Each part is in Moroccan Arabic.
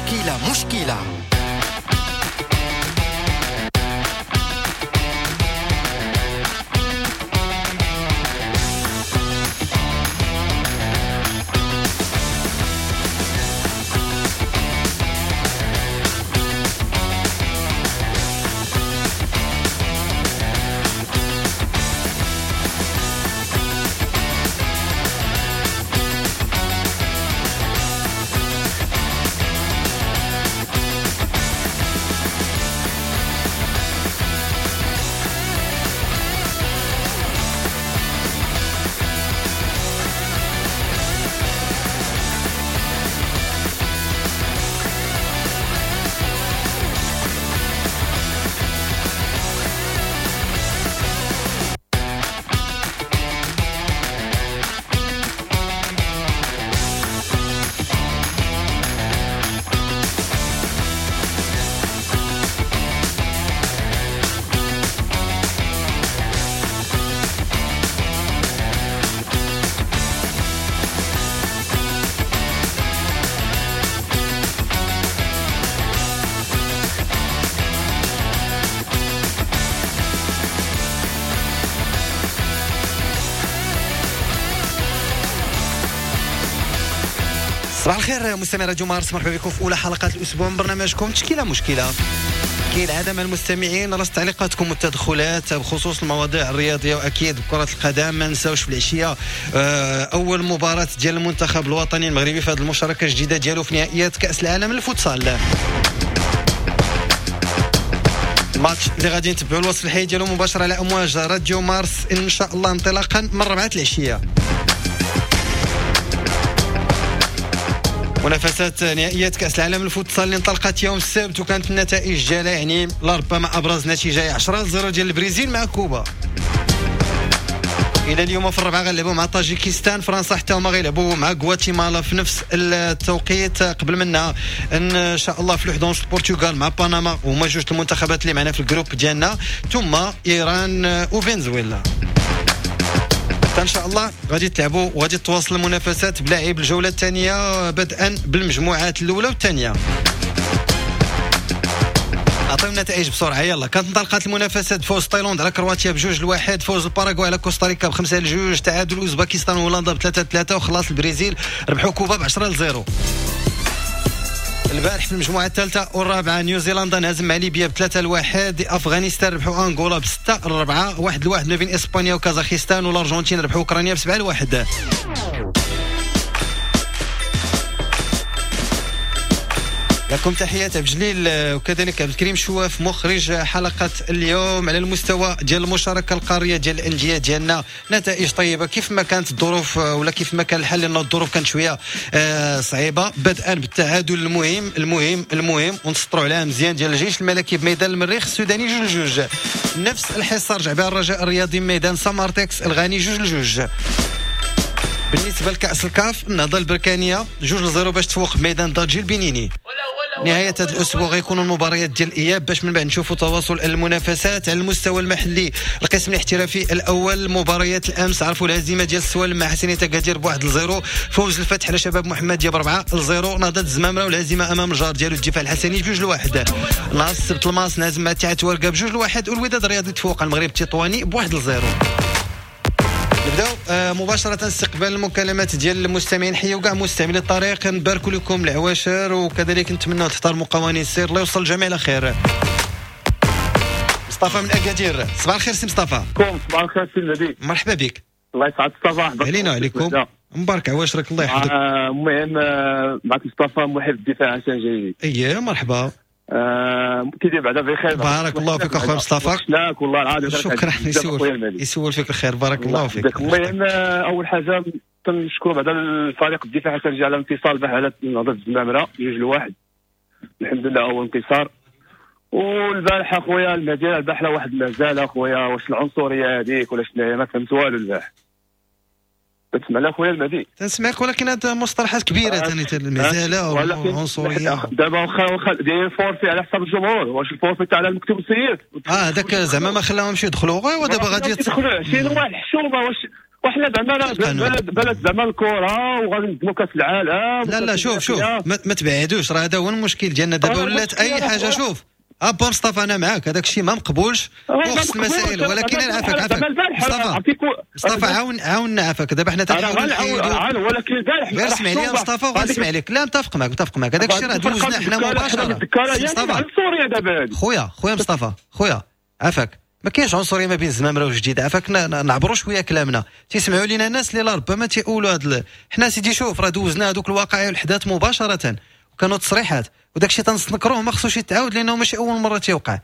تشكيلة مشكلة. صباح الخير مستمعي راديو مارس، مرحبا بكم في اولى حلقات الاسبوع من برنامجكم تشكيله مشكلة. كالعادة مع المستمعين رصد تعليقاتكم والتدخلات بخصوص المواضيع الرياضية واكيد كره القدم. ما نساوش في العشية اول مباراة ديال المنتخب الوطني المغربي في هذه المشاركة الجديدة ديالو في نهائيات كاس العالم للفوتسال. الماتش اللي غادي نتبعوا الوصف الحي ديالو مباشرة على امواج راديو مارس ان شاء الله انطلاقا من 4 العشية. منافسات نهائيات كأس العالم للفوتسال اللي انطلقت يوم السبت وكانت النتائج ديالها يعني لربما ابرز نتيجة 10-0 ديال البرازيل مع كوبا. الى اليوم في الربعه غنلعبوا مع طاجيكستان، فرنسا حتى هما غيلعبوا مع غواتيمالا في نفس التوقيت. قبل منها ان شاء الله في الوحدة ونص البرتغال مع بنما، وهما جوج المنتخبات اللي معنا في ال groupe ديالنا، ثم ايران وفنزويلا. ان شاء الله غادي تلعبوا وغادي تواصل المنافسات بلاعب الجولة الثانية بدءا بالمجموعات الاولى والثانية. اعطيو النتائج بسرعة يلا. كانت انطلقت المنافسات فوز تايلاند على كرواتيا ب2-1، فوز الباراغواي على كوستاريكا ب5-2، تعادل اوزباكستان وهولندا ب3-3، وخلاص البرازيل ربحوا كوبا ب10-0. البارح في المجموعة الثالثة والرابعة نيوزيلندا انهزم مع ليبيا ب3-1، افغانستان ربحوا انغولا ب6-4، 1-1 ما بين اسبانيا وكازاخستان، والارجنتين ربحوا اوكرانيا ب7-1. لكم تحيات عبد الجليل وكذلك عبد الكريم شواف مخرج حلقة اليوم. على المستوى ديال المشاركة القارية ديال الأندية ديالنا نتائج طيبة كيف ما كانت الظروف ولا كيف ما كان الحال، لأن الظروف كانت شوية صعيبة. بدءا بالتعادل المهم المهم المهم ونسطروا عليها مزيان ديال الجيش الملكي بميدان المريخ السوداني 2-2. نفس الحصة رجع بها الرجاء الرياضي ميدان سامارتكس الغاني 2-2. بالنسبة لكأس الكاف النهضة البركانية 2-0 باش تفوق بميدان داجي البنيني. نهاية هذا الأسبوع غيكونوا المباريات ديال الإياب باش من بعد نشوفوا تواصل المنافسات على المستوى المحلي. القسم الاحترافي الأول مباريات الأمس عرفوا الهزيمة ديال السوالم مع حسنية أكادير ب1-0، فوز الفتح على شباب محمدية ب4-0، نهضة الزمامرة والهزيمة أمام الجار ديالو الدفاع الحسني 2-1. نهار السبت الماس نهزم مع اتحاد ورقة ب2-1، والوداد الرياضي تفوق على المغرب التطواني ب1-0. نبداو مباشرة استقبال المكالمات ديال المستمعين. حيوا كاع مستمعي الطريق، نباركوا لكم العواشر وكذلك نتمنوا تحترموا قوانين السير. الله يوصل الجميع على خير. مصطفى من اكادير، صباح الخير سي مصطفى. صباح الخير سي النبي، مرحبا بك. الله يسعد الصباح. علينا وعليكم، مبارك عواشرك الله يحفظك. المهم معك مصطفى محب الدفاع حسن جيد. اييه مرحبا. كيدير بعدا بخير. بارك الله فيك اخويا مصطفى. شكرا والله العظيم. شكرا، يسول فيك الخير، بارك الله فيك. المهم اول حاجة تنشكر بعدا الفريق الدفاع حسن على الانتصار البارح على نهضة الزمامره 2-1، الحمد لله اول انتصار. والبارح اخويا المهدي البارح واحد مازال اخويا، واش العنصرية هذيك ولا شنو ما فهمت والو البارح. تسمع لا خويا المهدي؟ تنسمعك، ولكن هاد مصطلحات كبيرة ثاني المهزلة والعنصريه. دابا واخا دايرين forfait على حساب الجمهور، واش ال forfait تاع المكتب السيد هذاك زعما ما خلاهمش يدخلوا. ايوا دابا غادي يدخلوا شي واحد الحشومه. وحنا زعما بلد زعما الكره وغادي نقدموا كاس العالم. لا لا شوف شوف ما تبعدوش، راه هذا هو المشكل ديالنا دابا، ولات اي حاجة. شوف ابا مصطفى انا معاك، هذاك الشيء ما مقبولش وخص المسائل، ولكن عافاك عافاك مصطفى، مصطفى عاوننا عافاك. دابا حنا تنحاولوا نحيدوا، ولكن البارح غير اسمع لي مصطفى وغنسمع لك. لا متفق معك متفق معك، هذاك الشيء راه دوزنا حنا مباشرة. مصطفى خويا خويا مصطفى خويا عافاك، ما كاينش عنصرية ما بين الزمامره والجديد، عافاك نعبروا شوية كلامنا. تيسمعوا لينا الناس اللي لا ربما تيقولوا هاد حنا سيدي شوف راه دوزنا هذوك الواقع والحداث مباشرة، وكانوا تصريحات وداك الشيء تنستنكروه، ما خصوش يتعاود لانه ماشي اول مرة تيوقع.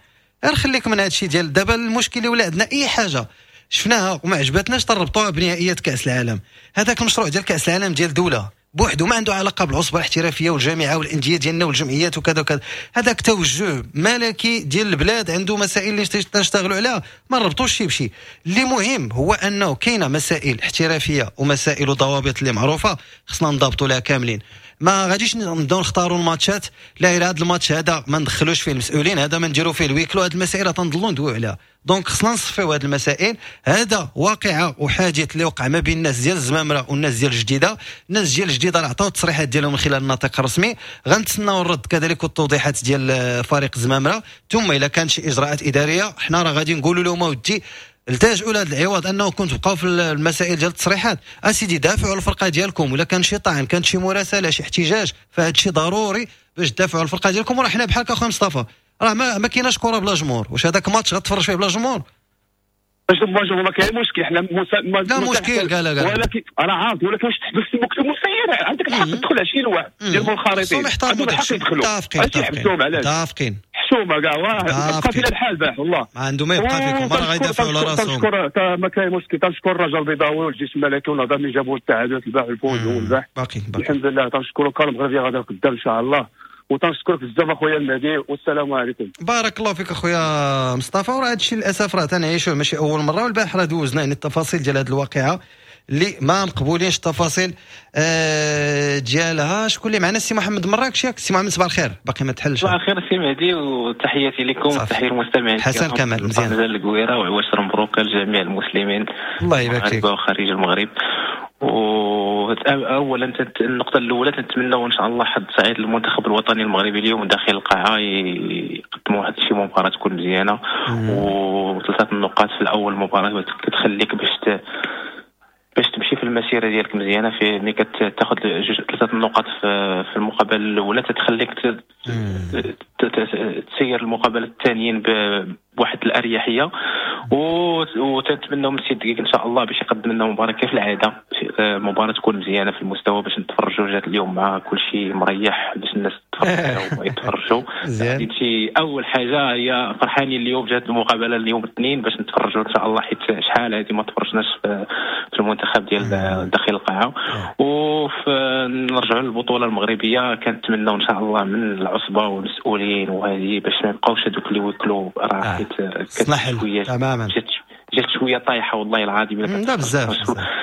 غير خليك من هذا الشيء ديال دابا. المشكل اللي ولا عندنا اي حاجة شفناها وما عجبتناش تربطوها بنهائيات كاس العالم. هذاك المشروع ديال كاس العالم ديال دولة بوحده ما عنده علاقة بالعصبه الاحترافية والجامعة والاندية ديالنا والجمعيات وكذا وكذا. هذاك توجه ملكي ديال البلاد، عنده مسائل اللي تنشتغلوا عليها، ما نربطوش شي بشي. اللي مهم هو انه كاينه مسائل احترافية ومسائل وضوابط اللي معروفة، خصنا نضبطوا لها كاملين. ما غاديش نبداو نختاروا الماتشات، لا الى هذا الماتش هذا ما ندخلوش فيه المسؤولين، هذا ما نديروا فيه ال huis clos، هذه المسائل تنضلوا ندويو عليها. donc خصنا نصفيو هذه المسائل. هذا واقعه وحادث اللي وقع ما بين الناس ديال الزمامره والناس ديال الجديدة. الناس ديال الجديدة راه عطاو التصريحات ديالهم من خلال الناطق الرسمي، غنتسناو الرد كذلك والتوضيحات ديال فريق الزمامره، ثم الا كانت شي اجراءات ادارية حنا راه غادي نقولوا لهم اودي التجؤوا لهذا العوض انه كنتوا تبقاو في المسائل ديال التصريحات. اسيدي دافعوا على الفرقة ديالكم، ولا كان شي طعن، كان شي مراسله، شي احتجاج، فهذا الشيء ضروري باش تدافعوا على الفرقة ديالكم. وراه حنا بحالك اخويا مصطفى، راه ما كايناش كره بلا جمهور. واش هذاك ماتش غتفرج فيه بلا جمهور؟ باش ما كاين مشكل، حنا لا مشكل قال ولكن راه عارف، ولكن واش تحبس المكتب المسير عندك الحق تدخل 20 واحد ديال المنخرطين، عندهم الحق يدخلوا. متفقين متفقين، حشومه كاع بقى فينا الحال باح والله، ما عنده ما يبقى فيكم، راه غيدافعوا على راسهم. تنشكر ما كاين مشكل، تنشكر الرجاء البيضاوي والجيش الملكي والنظام اللي جابوا التعادلات الباح والفوز والباح، باقي الحمد لله. تنشكروا كان المغربية غادا قدام ان شاء الله، وتنشكرك بزاف اخويا المهدي، والسلام عليكم. بارك الله فيك اخويا مصطفى. وراه هادشي للاسف راه تنعيشوه ماشي اول مرة، والبارح راه دوزنا يعني التفاصيل ديال هذه الواقعة اللي ما مقبولينش التفاصيل ديالها. شكون اللي معنا؟ السي محمد مراكش، ياك السي محمد؟ صباح الخير، باقي ما تحلش. صباح الخير السي مهدي، وتحياتي لكم وتحية المستمعين. حسن كمال مزيان الكويره، وعواشر مبروك لجميع المسلمين. الله يبارك فيك. وخارج المغرب. اولا النقطة الاولى نتمنوا ان شاء الله حظ سعيد للمنتخب الوطني المغربي اليوم داخل القاعة، يقدموا واحد شي مباراة تكون مزيانه، وثلاثة النقاط في الاول مباراة كتخليك باش تمشي في المسيرة ديالك مزيانه. في ملي كتاخذ جوج ثلاثة النقاط في المقابلة الاولى تتخليك تسير المقابلة الثانيين بواحد الاريحيه. وتنتمناو من السيد دقيق ان شاء الله باش يقدم لنا مباراة كيف العادة، مباراة تكون مزيانه في المستوى باش نتفرجوا. جات اليوم مع كل شيء مريح باش الناس تتفرج ويتفرجوا. شي اول حاجة هي فرحانين اليوم جات المقابلة اليوم الاثنين باش نتفرجوا ان شاء الله، حيت شحال هذه ما تفرجناش في المنتخب ديال داخل القاعة. ونرجعوا للبطولة المغربية، كنتمناو ان شاء الله من العصبة والمسؤولين وهذه باش ما يبقاوش هذوك اللي ويكلوا، راه حيت شوية تماما جات شوية طايحة والله العظيم. لا بزاف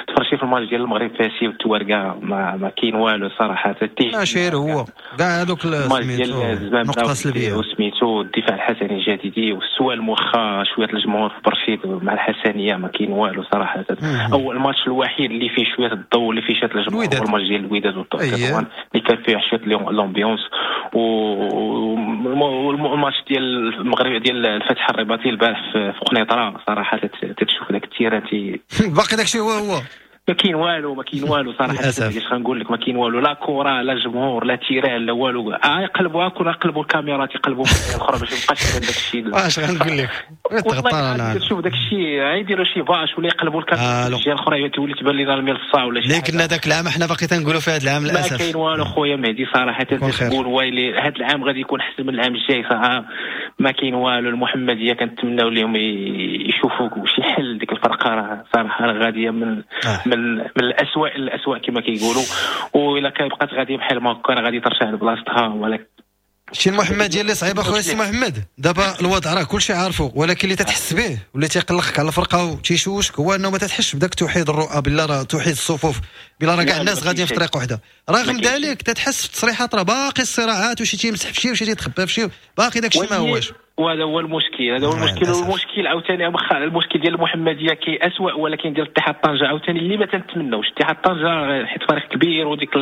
تفرجتي في الماتش ديال المغرب فاسي والتوارقه ما كاين والو صراحة، ماشي هو كاع هذوك سميتو نقطة سلبية وسميتو الدفاع الحسني الجديدي والسؤال موخا شوية الجمهور في برشيد مع الحسنيه ما كاين والو صراحة. اول الماتش الوحيد اللي فيه شوية الضوء اللي فيه شوية الجمهور هو الماتش ديال الوداد والتطوان اللي كان فيه شوية l'ambiance، والماتش ديال المغرب ديال الفتح الرباطي البارح في قنيطره صراحة تتشوف داك ال terrain باقي داكشي هو هو ما كاين والو، ما كاين والو صراحة. اش غنقول لك، ما كاين والو، لا كره لا جمهور لا terrain لا والو. يقلبوها كون يقلبوا الكاميرات يقلبوا الاخرى باش ما يبقاش يبان داك الشيء. اش غنقول لك، تغطى تشوف داك الشيء يديروا شي bâche ولا يقلبوا الكاميرا الجهة الاخرى تولي تبان لنا الملصه ولا شي. لكن هذاك العام حنا باقي تنقولوا في هذا العام للاسف ما كاين والو خويا مهدي صراحة. تقول ويلي هذا العام غادي يكون احسن من العام الجاي، صراحة ما كاين والو. المحمدية كنتمناو لهم يشوفوا شي حل، ديك الفرقة راه صراحة غادية من من الاسوء الاسوء كما كيقولوا، والا كان بقات غادية بحال ما هكا راه غادي ترجع لبلاصتها. ولكن شي المحمدية اللي صعيبة خويا سي محمد، دابا الوضع راه كلشي عارفه، ولكن اللي تتحس به واللي تيقلقك على الفرقة وتيشوشك هو انه ما تتحسش بداك توحيد الرؤى، بالله راه توحيد الصفوف بلا راه كاع الناس غاديين في طريق وحده. رغم ذلك تتحس في التصريحات راه باقي الصراعات، وشي تيمسح في شي وشي تيتخبى في شي، باقي داك الشيء ما هواش. وهذا هو المشكل، هذا هو المشكل. والمشكل عاوتاني المشكل ديال المحمدية كي اسوء، ولكن ديال اتحاد طنجه عاوتاني اللي ما تنتمناوش. اتحاد طنجه حيت فريق كبير وديك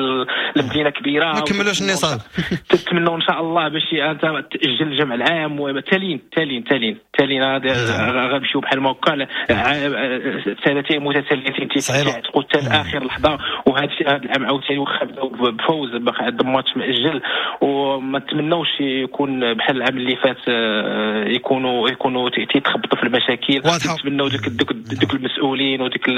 المدينة كبيرة، ما كملوش النصاب. تتمنوا ان شاء الله باش انت تاجل الجمع العام، وتالين تالين تالين تالين غنمشيو بحال ما هكا سنتين متتاليتين تيتعتقوا حتى لاخر لحظة. وهذا الشيء هذا العام عاوتاني واخا بداو بفوز باقي عندهم ماتش مأجل، وما نتمناوش يكون بحال العام اللي فات يكونوا تيتخبطوا في المشاكل. نتمناو دوك المسؤولين وديك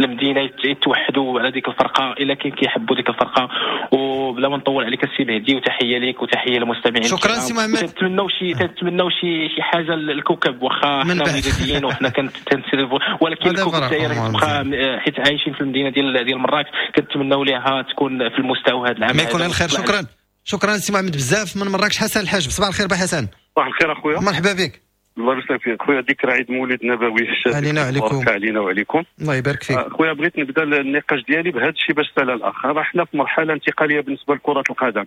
المدينة يتوحدوا على ديك الفرقة الا كان كيحبوا ديك الفرقة. وبلا ما نطول عليك السي مهدي، وتحية ليك وتحية للمستمعين. شكرا سي محمد. تنتمناو شي حاجة للكوكب، واخا حنا وداديين وحنا كنتسلفوا، ولكن الكوكب حتى تبقى حيت عايشين في المدينة ديال مراكش، كنتمناو ليها تكون في المستوى هذا العام. ما يكون الخير. شكرا شكرا سي محمد بزاف. من مراكش حسن الحاجب، صباح الخير با حسن. صباح الخير اخويا، مرحبا بك. الله يبارك فيك خويا. ذكرى عيد مولد نبوي علينا وعليكم. علينا وعليكم. الله يبارك فيك خويا. بغيت نبدا النقاش ديالي بهذا الشيء باش سال الاخ. راه حنا في مرحلة انتقالية بالنسبة لكرة القدم،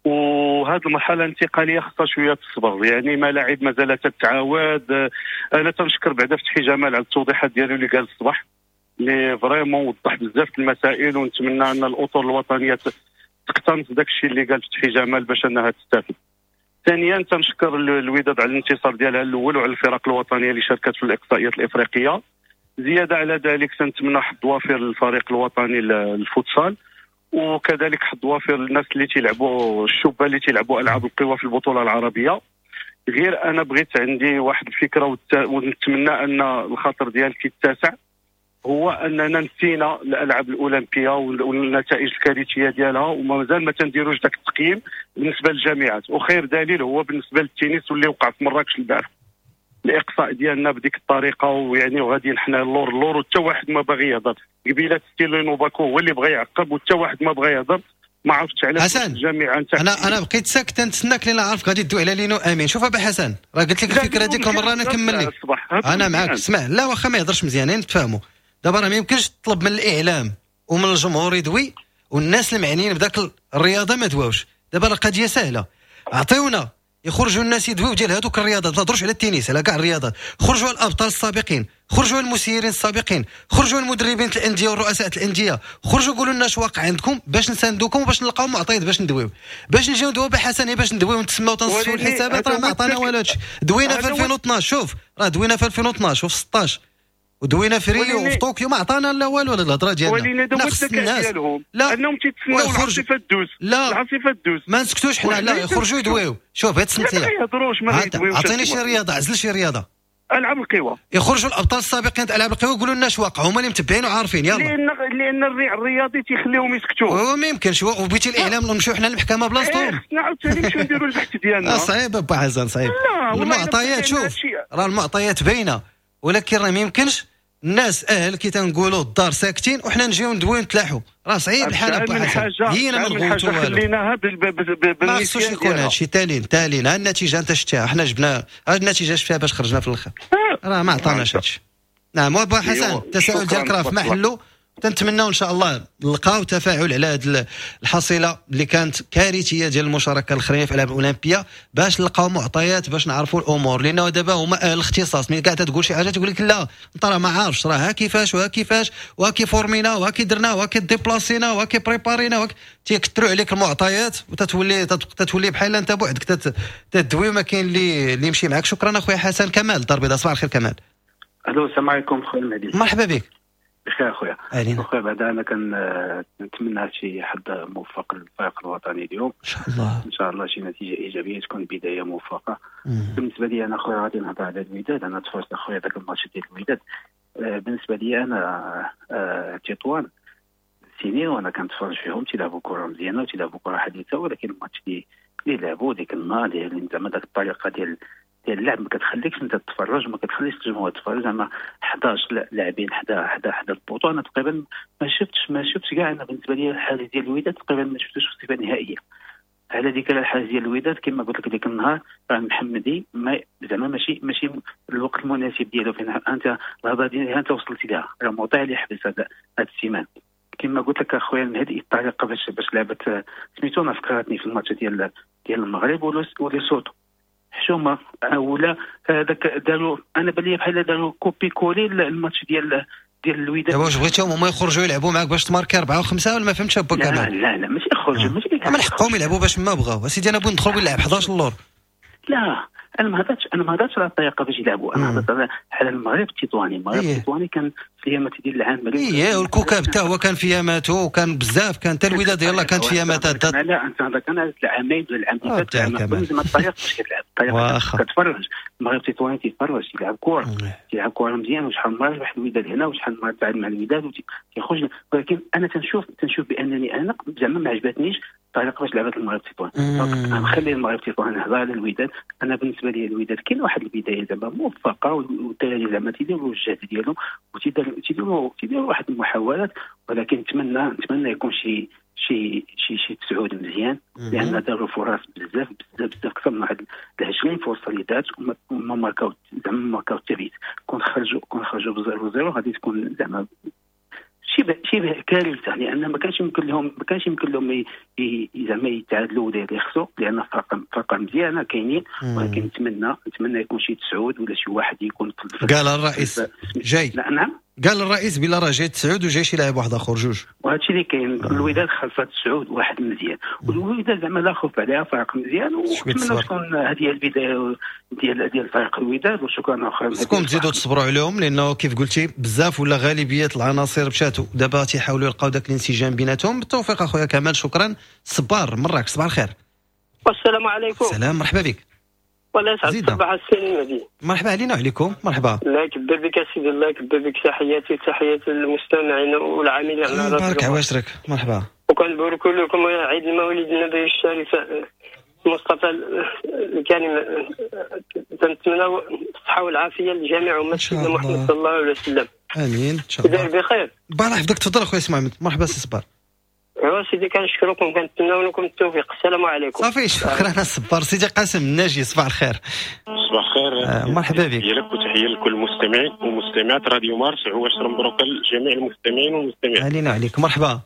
وهذه المرحلة الانتقالية خصها شوية الصبر، يعني ملاعب مازال تتعاود. انا تنشكر بعدا فتحي جمال على التوضيحات ديالو اللي قال الصباح، اللي vraiment وضح بزاف المسائل، ونتمنى ان الاطر الوطنية تقتنص داك الشيء اللي قال فتحي جمال باش انها تستافد. ثانيا تنشكر الوداد على الانتصار ديالها الاول وعلى الفرق الوطنية اللي شاركت في الاقصائيات الافريقية. زيادة على ذلك تنتمنى حظ وافر للفريق الوطني للفوتسال، وكذلك حظ وافر للناس اللي تيلعبوا الشبان اللي تيلعبوا العاب القوى في البطولة العربية. غير انا بغيت عندي واحد الفكرة ونتمنى ان الخاطر ديالك يتسع، هو اننا نسينا الالعاب الاولمبية والنتائج الكارثية ديالها، ومازال ما تنديروش داك التقييم بالنسبة للجامعات. وخير دليل هو بالنسبة للتنس واللي وقع في مراكش البارح، الاقصاء ديالنا بديك الطريقة، ويعني وغاديين حنا اللور اللور، وحتى واحد ما باغي يهضر. قبيلة ستيلينو باكو هو اللي بغى يعقب، وحتى واحد ما بغى يهضر. ما عرفتش علاش الجامعة نتاع انا بقيت ساكت نتسناك لان عارف غادي تدوي على لينو امين. شوف ابا حسن، راه قلت لك الفكرة ديك المرة انا كمل لك، انا معاك. اسمع، لا واخا ما يهضرش مزيان نتفاهموا. دابا راه ما يمكنش تطلب من الاعلام ومن الجمهور يدوي والناس المعنيين بداك الرياضة ما دواوش. دابا راه القضية سهلة، عطيونا يخرجوا الناس يدويو ديال هذوك الرياضات، ما تهضروش على التنس، على كاع الرياضات. خرجوا الابطال السابقين، خرجوا المسيرين السابقين، خرجوا المدربين الاندية والرؤساء الاندية، خرجوا قولوا لنا اش واقع عندكم باش نساندوكم وباش نلقاو معطيات باش ندويو، باش نجيو ندويو بحسن، باش ندويو ونتسماو تنصفوا الحسابات. راه ما عطانا والو هادشي. دوينا في 2012، شوف راه دوينا في 2012 وفي 16 ودوينا في ريو وفي طوكيو، ما عطانا لا والو على الهضرة ديالنا. لا خص الناس لا انهم تيتسناو العاصفة دوز، لا العاصفة دوز، ما نسكتوش حنا، لا يخرجوا يدويو. شوف هاد السنتيه ما يهضروش، ما يدويوش. عطيني شي رياضة، عزل شي رياضة، العاب القوى، يخرجوا الابطال السابقين تاع العاب القوى يقولوا لنا اش واقع، هما اللي متبعين وعارفين. يلا لان الريع الرياضي تيخليهم يسكتوا، هو ما يمكنش. وبيتي الاعلام نمشيو حنا للمحكمة بلاصتهم، خصنا عاوتاني نمشيو نديروا البحث ديالنا. صعيب ابا حسن، صعيب. المعطيات شوف راه المعطيات باينة، ولكن راه ما يمكنش الناس اهل كي تنقولوا الدار ساكتين وحنا نجيو ندويو نتلاحوا. راه صعيب الحال ابا حسن، هينا ما نغوتوا والو، خليناها ما خصوش يكون هادشي. تالين تالين ها النتيجة انت شفتيها، حنا جبنا ها النتيجة شفتيها باش خرجنا في الاخر، راه ما عطاناش هادشي. نعم ابا حسن، التساؤل ديالك راه في محله، تنتمناو ان شاء الله نلقاو تفاعل على هذه الحصيلة اللي كانت كارثية ديال المشاركة الاخرين في الالعاب الاولمبية، باش نلقاو معطيات باش نعرفوا الامور، لانه دابا هما اهل الاختصاص. ملي كاع تقول شي حاجة تقول لك لا انت راه ما عارفش، راه ها كيفاش وها كيفاش وها كي فورمينا وها كي درنا وها كي ديبلاسينا وها كي بريبارينا، تيكثروا عليك المعطيات وتتولي تتولي بحال انت بوحدك تدوي وما كاين اللي يمشي معاك. شكرا اخويا حسن. كمال الدار البيضاء، صباح الخير كمال. الو السلام عليكم خويا المهدي، مرحبا بك. بخير اخويا. اخويا بعدا انا كنتمنى شي حد موفق للفريق الوطني اليوم ان شاء الله، ان شاء الله شي نتيجة ايجابية تكون بداية موفقة. بالنسبة لي انا اخويا غادي نهضر على الوداد. انا تفرجت اخويا ذاك الماتش ديال الوداد. بالنسبة لي انا تطوان سنين وانا كنتفرج فيهم تيلعبوا كره مزيانه وتيلعبوا كره حديثه، ولكن الماتش اللي لعبوا ديك النهار ديال زعما داك الطريقة ديال اللعب ما كتخليكش انت تتفرج، ما كتخليش الجمهور يتفرج. زعما 11 لاعبين حدا ال poteau. انا تقريبا ما شفتش كاع. انا بالنسبة لي الحارس ديال الوداد تقريبا ما شفتوش في الصفة النهائية. على ديك الحارس ديال الوداد كما قلت لك ديك النهار راه محمدي ما زعما ماشي الوقت المناسب ديالو فين انت الهضرة ديالها انت وصلتي لها. راه موطع اللي حبس هذا السيمان. كما قلت لك اخويا المهدي الطريقة باش لعبت سميتو انا فكرتني في الماتش ديال المغرب وليسوتو حشومه ولا هذاك داروا، انا بان لي بحال داروا copier-coller الماتش ديال الوداد. دابا واش بغيتيهم هما يخرجوا يلعبوا معاك باش تماركي 4 و5 ولا ما فهمتش با كمال؟ لا لا ماشي يخرجوا، ماشي من حقهم يلعبوا باش ما بغاو. اسيدي انا بغيت ندخل ونلعب 11 اللور. لا انا ما هضرتش على الطريقة باش يلعبوا، انا هضرت على المغرب التطواني. المغرب التطواني كان في ايامات ديال العام، ايه والكوكب حتى هو كان في ياماته، وكان بزاف، كان حتى الوداد يلاه كانت في ياماتها. لا انت هذا كان العامين ولا العام اللي فات، زعما الطريقة باش كتلعب، الطريقة كتفرج. المغرب التطواني تيتفرج، تيلعب كره، تيلعب كره مزيان، وشحال من مرة ربح الوداد هنا وشحال من مرة تعادل مع الوداد وتيخرج. ولكن انا تنشوف بانني انا زعما ما عجبتنيش الطريقة باش لعبت المغرب التطواني. انا نخلي المغرب التطواني نهضر على الوداد. انا بالنسبة لي الوداد كاين واحد البداية زعما موفقة، والدراري زعما تيديروا الجهد ديالهم وتيديروا واحد المحاولات، ولكن نتمنى يكون شي شي شي شي تسعود مزيان، لان داروا فرص بزاف بزاف بزاف، اكثر من واحد 20 فرصة اللي دارت وما ماركاو، زعما ماركاو حتى بيت. كون خرجوا ب0-0 غادي تكون زعما شبه كارثة، لان ما كانش يمكن لهم زعما يتعادلوا ولا يخسروا، لان فرقه مزيانه كاينين. ولكن نتمنى يكون شي تسعود ولا شي واحد يكون. قال الرئيس جاي. لا نعم، قال الرئيس بلا راه جاي تسعود وجاي شي لاعب واحد اخر جوج، وهذا الشيء اللي كاين. الوداد خلصت تسعود واحد مزيان، والوداد زعما لا خوف عليها، فرق مزيان، ونتمنى تكون هذه هي البداية ديال فريق الوداد. وشكرا اخويا. خصكم تزيدوا تصبروا عليهم، لانه كيف قلتي بزاف ولا غالبية العناصر مشات، دابا تيحاولوا يلقاو داك الانسجام بيناتهم. بالتوفيق اخويا كمال، شكرا. صبار مراكش، صباح الخير. والسلام عليكم. سلام، مرحبا بك. والله يسعد الصباح السي المهدي. مرحبا علينا وعليكم. مرحبا. الله يكبر بك سيدي، الله يكبر بك. تحياتي تحياتي للمستمعين والعاملين على راديو. بارك عواشرك. مرحبا. وكنبارك لكم عيد المولد النبي الشريف المصطفى الكريم، تنتمناو الصحة والعافية لجميع أمة سيدنا محمد صلى الله عليه وسلم. امين ان شاء الله. بخير. بارك يحفظك. تفضل اخويا اسماعيل. مرحبا سي صبار. ايوا سيدي كنشكركم، كنتمناو لكم التوفيق. السلام عليكم. صافي شكرا الصبار. سيدي قاسم الناجي، صباح الخير. صباح الخير. مرحبا بك. تحية لك وتحية لكل المستمعين ومستمعات راديو مارس. عواشر مبروك لجميع المستمعين والمستمعات. علينا وعليك. مرحبا.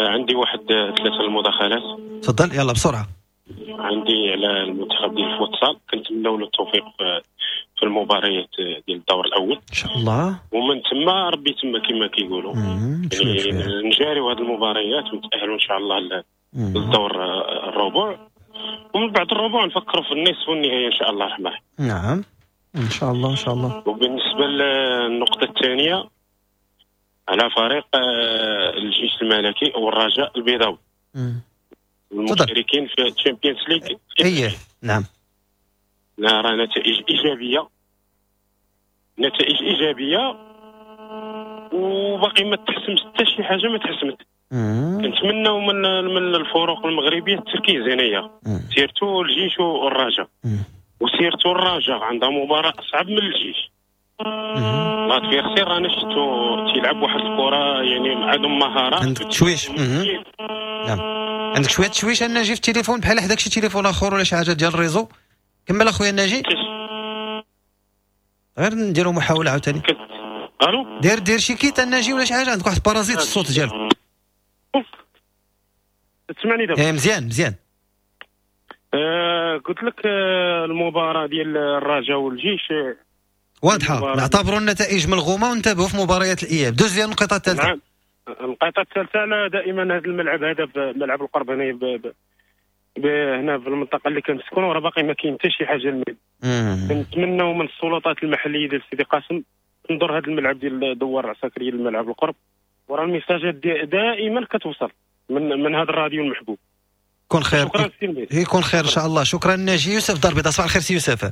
عندي واحد 3 المداخلات. تفضل يلا بسرعة. عندي على المنتخب ديال الفوتسال، كنتمناو له التوفيق في المباريات ديال الدور الاول ان شاء الله، ومن ثم ربي تما كما كيقولوا يعني نجاريو هذه المباريات ونتاهلوا ان شاء الله للدور الربع، ومن بعد الربع نفكروا في النصف والنهاية ان شاء الله الرحمن. نعم ان شاء الله ان شاء الله. وبالنسبة للنقطة الثانية على فريق الجيش الملكي والرجاء البيضاوي المشاركين في ال Champions League. ايه نعم، لا راه نتائج ايجابية، نتائج ايجابية، وباقي ما تحسمش حتى شي حاجة، ما تحسمت. كنتمناو من الفرق المغربية التركيز هنايا، surtout الجيش والرجاء، و surtout الرجاء عندها مباراة اصعب من الجيش. l'adversaire انا شفتو تيلعب واحد الكره يعني عندهم مهارة. عندك تشويش. نعم عندك شوية تشويش الناجي في التليفون، بحال حداك شي تليفون اخر ولا شي حاجة ديال ال réseau. كمل اخويا الناجي، غير نديرو محاولة عاوتاني. الو، دير شي kit الناجي ولا شي حاجة، عندك واحد parasite الصوت ديالك. تسمعني دابا؟ ايه مزيان مزيان. قلت لك المباراة ديال الرجاء والجيش واضحة، نعتبروا النتائج ملغومه ونتابعوا في مباريات الاياب. دوز لي النقطة الثالثة. نعم النقطة الثالثة، انا دائما هذا الملعب هذا ملعب القرب هنا هنا في المنطقة اللي كنسكنوا راه باقي ما كاين حتى شي حاجة. كنتمناو من السلطات المحلية ديال سيدي قاسم تنظر هذا الملعب ديال دوار العساكريه للملعب القرب، وراه الميساجات دائما كتوصل من هذا الراديو المحبوب. كون خير. شكرا سي، يكون خير ان شاء الله. شكرا ناجي. يوسف دار البيضاء، صباح الخير سي يوسف.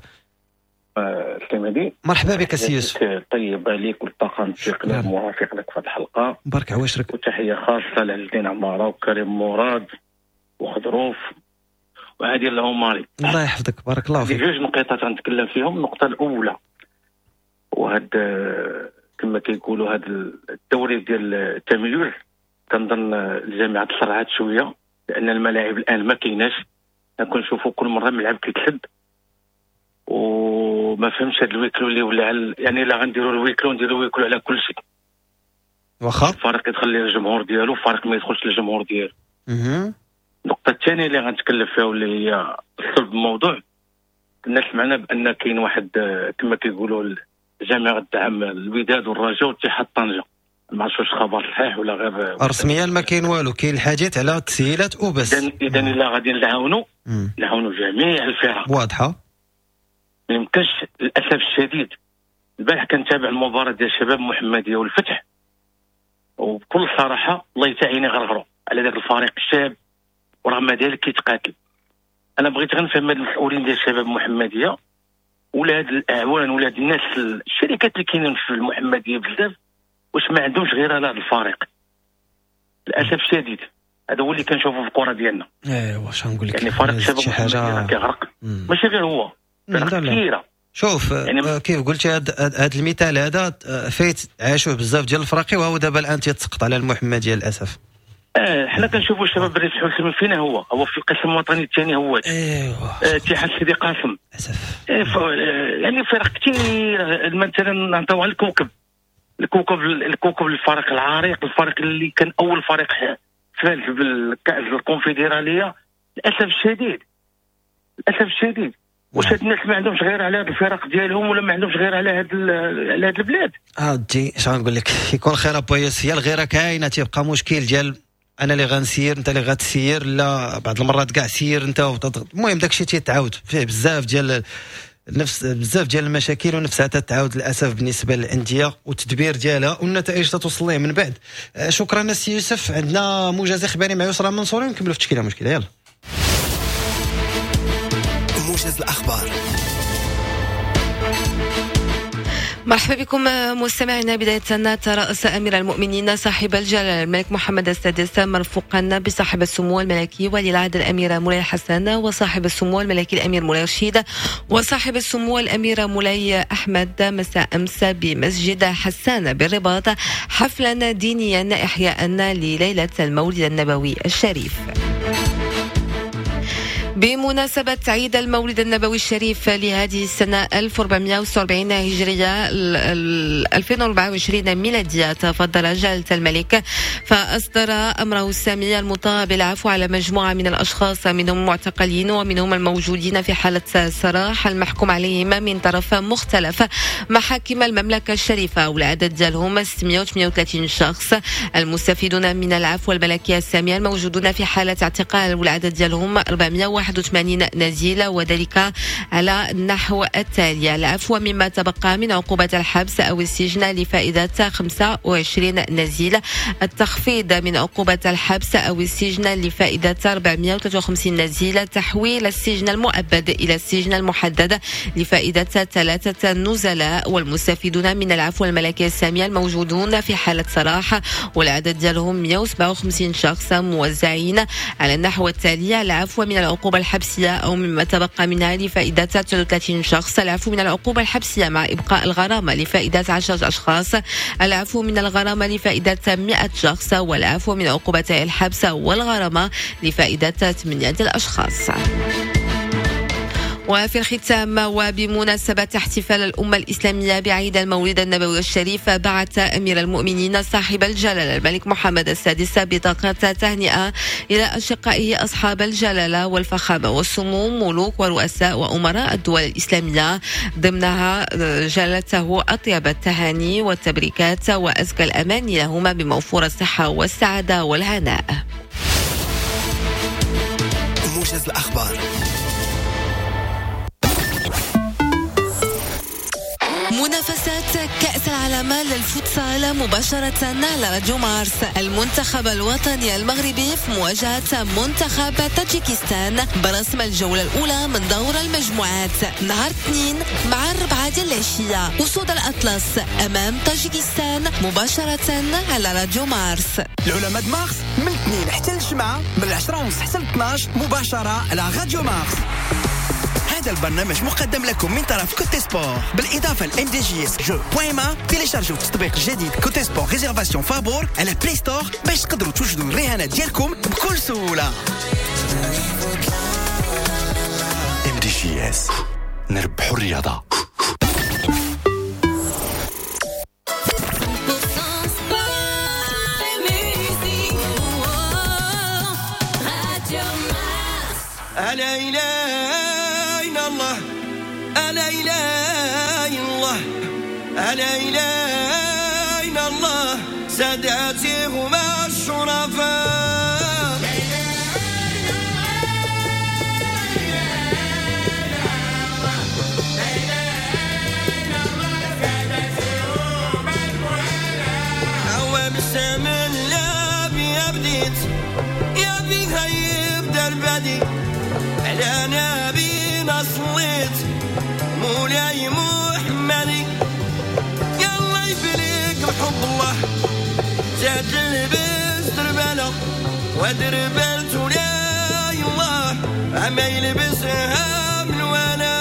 سي مرحبا بك سي يوسف. طيب عليك والطاقم التقني المرافق لك في هذه الحلقة. مبارك عواشرك. وتحية خاصة لعز عمارة وكريم مراد وخضروف وعادل العماري. الله يحفظك، بارك الله فيك. جوج نقيطات غنتكلم فيهم. النقطة الاولى، وهاد كما كيقولوا هاد الدوري ديال التميز، كنظن الجامعة تسرعات شوية لان الملاعب الان ما كايناش. كنشوفوا كل مرة ملعب كيتسد، وما فهمش هاد ال huis clos اللي ولا يعني لا غنديروا ال huis clos نديروا ال huis clos على كل شيء. واخا الفريق يدخل ليه الجمهور ديالو، الفريق ما يدخلش للجمهور ديالو. النقطة الثانية اللي غنتكلم فيها واللي هي صلب الموضوع، الناس سمعنا بان كاين واحد كما كيقولوا الجامعة غتدعم الوداد والرجاء واتحاد طنجه، ما عرفتش واش خبر صحيح ولا غير رسميا ما كاين والو، كاين الحديث على التسهيلات وبس. اذا الا غادي نعاونوا نعاونوا جميع الفرق واضحة، ما يمكنش. للاسف الشديد البارح كنتابع المباراة ديال الشباب المحمدية والفتح، وبكل صراحة الله يتعيني غرغروا على ذاك الفريق الشاب، ورغم ذلك كيتقاتل. انا بغيت غير نفهم هاد المسؤولين ديال الشباب المحمدية ولا هاد الاعوان ولا هاد الناس الشركات اللي كاينين في المحمدية بزاف، واش ما عندهمش غير على هذا الفريق؟ للاسف الشديد هذا هو اللي كنشوفه في الكره ديالنا. ايوا واش غنقول لك، يعني فريق الشباب المحمدية كيغرق، ماشي غير هو، فرق كثيرة. شوف يعني كيف قلتي هذا المثال هذا فايت عاشوه بزاف ديال الفراقي، وهو دابا الان تيتسقط على المحمدية للاسف. حنا كنشوفوا الشباب الريف حسين فينا هو في القسم الوطني الثاني هو ايوا اتحاد سيدي قاسم للاسف. يعني فرق كثير، مثلا نعطيو على الكوكب، الكوكب الفريق العريق، الفريق اللي كان اول فريق فاز بالكاس الكونفدراليه. للاسف الشديد للاسف الشديد واش هاد الناس ما عندهمش غير على هاد الفرق ديالهم، ولا ما عندهمش غير على هاد البلاد؟ اودي اش غنقول لك، يكون خير ابا ياسر، هي الغيرة كاينه، تيبقى مشكل ديال انا اللي غنسير انت اللي غتسير، لا بعض المرات كاع سير انت، المهم داكشي تيتعاود فيه بزاف ديال نفس بزاف ديال المشاكل، ونفسها تتعاود للاسف بالنسبة للاندية والتدبير ديالها والنتائج تتوصل ليه من بعد. شكرا السي يوسف. عندنا موجز اخباري مع يسرى منصوري، ونكملوا في التشكيلة مشكلة. يلا موجز الاخبار. مرحبا بكم مستمعينا. بداية ترأس أمير المؤمنين صاحب الجلالة الملك محمد السادس مرفوقا بصاحب السمو الملكي ولي العهد الأمير مولاي الحسن وصاحب السمو الملكي الأمير مولاي رشيد وصاحب السمو الأمير مولاي أحمد مساء أمس بمسجد حسان بالرباط حفلا دينيا إحياء لليلة المولد النبوي الشريف. بمناسبة عيد المولد النبوي الشريف لهذه السنة 1446 هجرية 2024 ميلادية، تفضل جلالة الملك فأصدر أمره السامي المطاع بالعفو على مجموعة من الأشخاص، منهم معتقلين ومنهم الموجودين في حالة سراح المحكوم عليهم من طرف مختلف محاكم المملكة الشريفة، والعدد ديالهم 638 شخص. المستفيدون من العفو الملكية السامية الموجودون في حالة اعتقال والعدد ديالهم 481 نزيل، وذلك على النحو التالي: العفو مما تبقى من عقوبة الحبس أو السجن لفائدة 25 نزيل، التخفيض من عقوبة الحبس أو السجن لفائدة 453 نزيل، تحويل السجن المؤبد إلى السجن المحدد لفائدة 3 نزلاء، والمستفيدون من العفو الملكي السامية الموجودون في حالة سراح والعدد ديالهم 157 شخص موزعين على النحو التالي: العفو من العقوبة الحبسية أو مما تبقى منها لفائدة 39 شخص، العفو من العقوبة الحبسية مع إبقاء الغرامة لفائدة 10 أشخاص، العفو من الغرامة لفائدة 100 شخص، والعفو من عقوبة الحبس والغرامة لفائدة 8 الأشخاص. وفي الختام، وبمناسبة احتفال الأمة الإسلامية بعيد المولد النبوي الشريف، بعث أمير المؤمنين صاحب الجلالة الملك محمد السادس بطاقة تهنئة إلى أشقائه أصحاب الجلالة والفخامة والسمو ملوك ورؤساء وأمراء الدول الإسلامية، ضمنها جلالته أطيب التهاني والتبريكات وأزكى الأماني لهما بموفور الصحة والسعادة والهناء. موجز الأخبار. منافسات كأس العالم للفوتسال مباشرة على راديو مارس. المنتخب الوطني المغربي في مواجهة منتخب تاجيكستان برسم الجولة الأولى من دور المجموعات نهار 2 مع 4 ديال العشية. أسود الأطلس أمام تاجيكستان مباشرة على راديو مارس. العلماء مارس من 2 حتى الجمعة من 10:30 حتى 12 مباشرة على راديو مارس. هذا البرنامج مقدم لكم من طرف Cote Sport، بالإضافة ل MDJS jeux point ma. تيليشارجوا التطبيق الجديد Cote Sport réservation فابور على Play Store باش تقدروا توجدوا الرهانات ديالكم بكل سهولة. MDJS نربحوا الرياضة. إله إلا الله، لا إله إلا الله، لا إله إلا الله، ساداتي هما الشرفاء. بسم الله يا بديت يا بيها يبدا البدي، على نبينا صليت مولاي محمدي. يلا يبليك بحب الله زاد لبس دربالة ودربالت ولا الله عما يلبسها من وانا.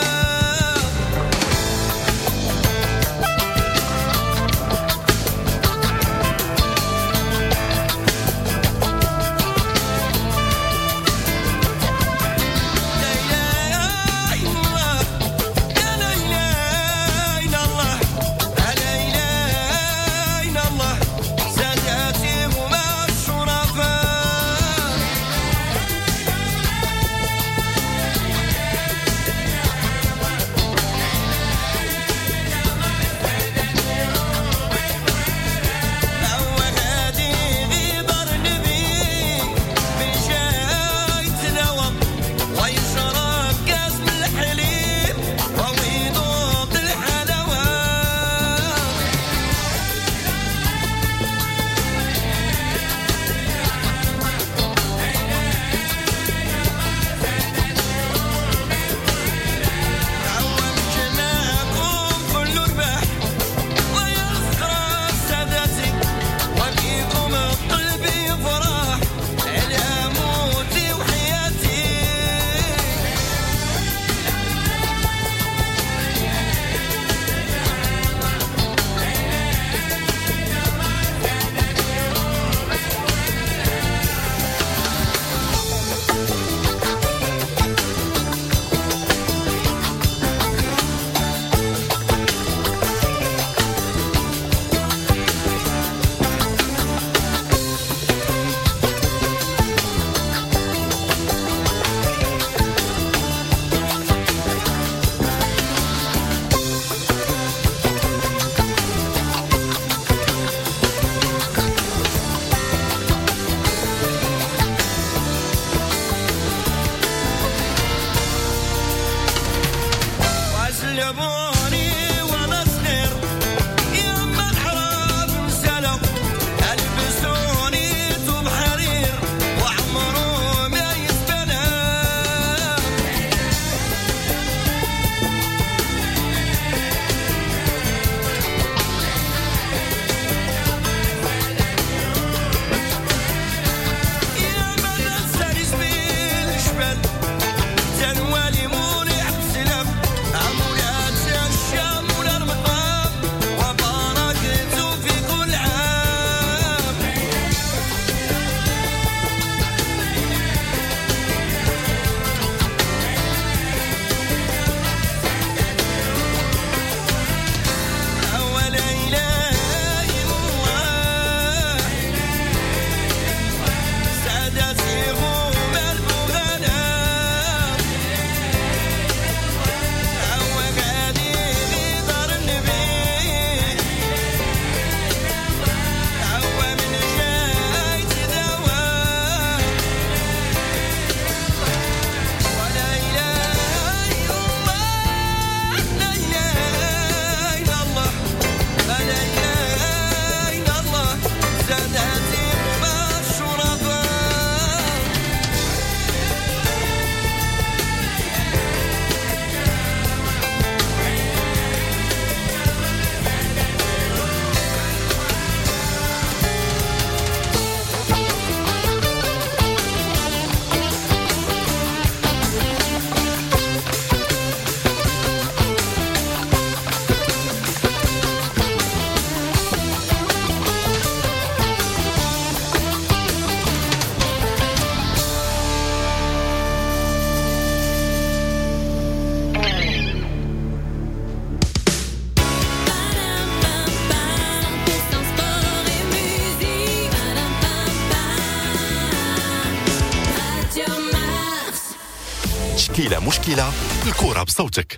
مشكلة، الكرة بصوتك.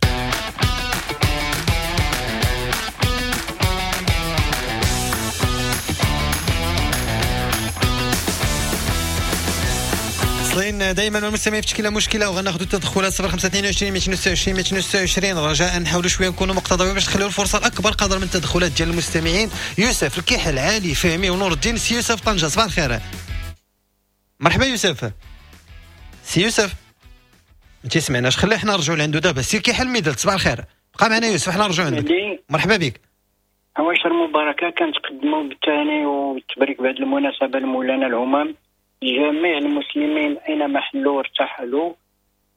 واصلين دائما المستمعين في تشكيله مشكلة، وغناخذوا التدخلات 0522 226 226. رجاء نحاولوا شوية نكونوا مقتضبين باش نخليو الفرصة الاكبر قدر من التدخلات ديال المستمعين. يوسف الكحل، علي فهمي ونور الدين. سي يوسف طنجه، صباح الخير. مرحبا يوسف. سي يوسف ما تسمعناش، خلي حنا نرجعوا لعندو دابا. سي كحل ميدلت، صباح الخير. بقى معنا يوسف، حنا نرجعوا عندك. مرحبا بك. عواشر مباركة كنتقدموا بالتهاني والتبريك بهذه المناسبة لمولانا الهمام، جميع المسلمين اينما حلوا وارتحلوا.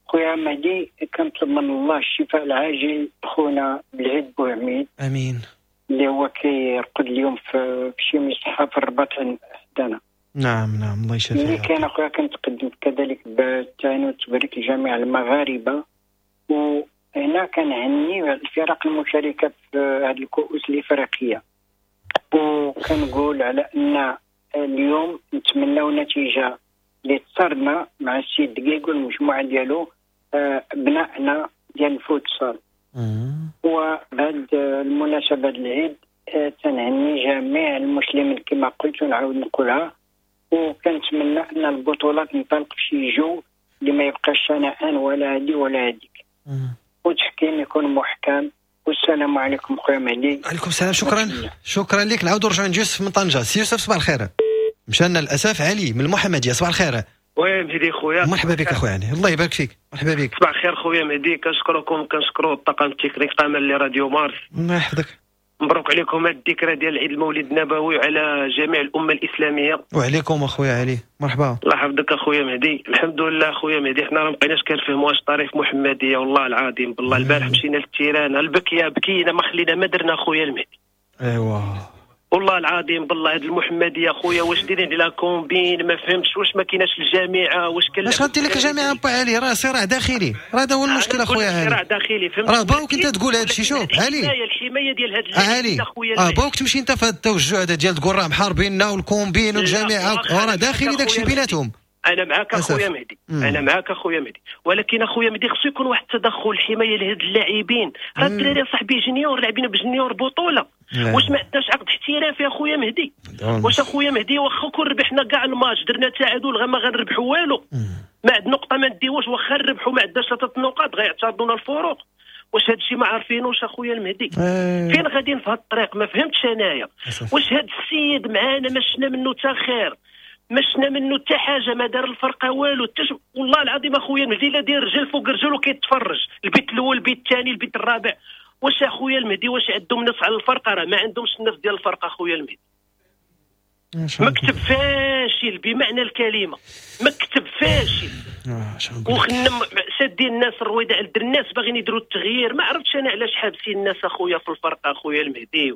خويا مهدي، كنطلب من الله الشفاء العاجل خونا بالعيد بوعميد، امين، اللي هو كيرقد اليوم في شي مصحه في الرباط حدانا. نعم نعم، الله يشافيه. اللي كان اخويا كنتقدم كذلك بالتهاني والتبريك لجميع المغاربة، وهنا كنهني الفرق المشاركة في هذه الكؤوس الافريقية، وكنقول على ان اليوم نتمناو نتيجة اللي تصرنا مع السيد دقيق والمجموعة ديالو، ابنائنا ديال الفوتسال. وبهذه المناسبة العيد تنهني جميع المسلمين كما قلت ونعاود نقولها، وكنتمنى ان البطولات تنطلق في شي جو اللي ما يبقاش شنآن ولا هادي ولا هاديك، والتحكيم يكون محكم. والسلام عليكم خويا مهدي. عليكم السلام، شكرا شكرا لك. نعاودوا نرجعوا عند يوسف من طنجه. سي يوسف صباح الخير. مشانا للاسف علي من المحمدية، صباح الخير. oui مهدي خويا، مرحبا بك اخويا علي، الله يبارك فيك. مرحبا بك. صباح الخير خويا مهدي، كنشكركم، كنشكروا الطاقم التقني كامل لراديو مارس. الله يحفظك. مبروك عليكم هذه الذكرى ديال العيد المولد النبوي وعلى جميع الامة الاسلامية. وعليكم اخويا علي، مرحبا. الله يحفظك اخويا مهدي. الحمد لله اخويا مهدي، حنا راه مابقيناش كنفهموا واش طريف محمديه والله العظيم. بالله البارح مشينا لل terrain، البكيه بكينا، ما خلينا ما درنا اخويا المهدي. ايوا والله العظيم بالله هاد المحمدية خويا واش دايرين على combine، ما فهمتش واش ما كايناش الجامعة، واش كان اش غادي لك الجامعة با علي؟ راه صراع داخلي، راه هذا هو المشكل اخويا علي، صراع داخلي فهمت. راه باوك انت تقول هادشي. شوف علي، الحماية ديال هاد علي اخويا، باوك تمشي انت في هاد التوجه هذا ديال تقول راه محاربيننا وال combine والجامعة، راه داخلي داكشي بيناتهم. انا معاك اخويا مهدي، انا معاك اخويا مهدي، ولكن اخويا مهدي خصو يكون واحد التدخل حماية لهاد اللاعبين. راه الدراري صاحبي junior لاعبين ب junior بطوله، واش ما عندناش عقد احترافي اخويا مهدي؟ واش اخويا مهدي واخا كون ربحنا كاع الماتش درنا تعادل غا ما غنربحوا والو، ما عند نقطة ما نديوش، واخا نربحوا ما عندناش 3 نقاط غيعترضونا الفروق. واش هادشي ما عارفينوش اخويا المهدي؟ فين غاديين في هاد الطريق؟ ما فهمتش انايا. واش هاد السيد معانا ما شفنا منه حتى خير، ما شفنا منه حتى حاجة، ما دار الفرقة والو. والله العظيم اخويا المهدي لا داير رجل فوق رجل وكيتفرج، البيت الاول البيت الثاني البيت الرابع. واش اخويا المهدي واش عندهم نفس على الفرقة؟ راه ما عندهمش النفس ديال الفرقة اخويا المهدي. مكتب فاشل بمعنى الكلمة، مكتب فاشل. وخنا سادين الناس الرويده على الناس باغيين يديروا التغيير. ما عرفتش انا علاش حابسين الناس اخويا في الفرقة اخويا المهدي.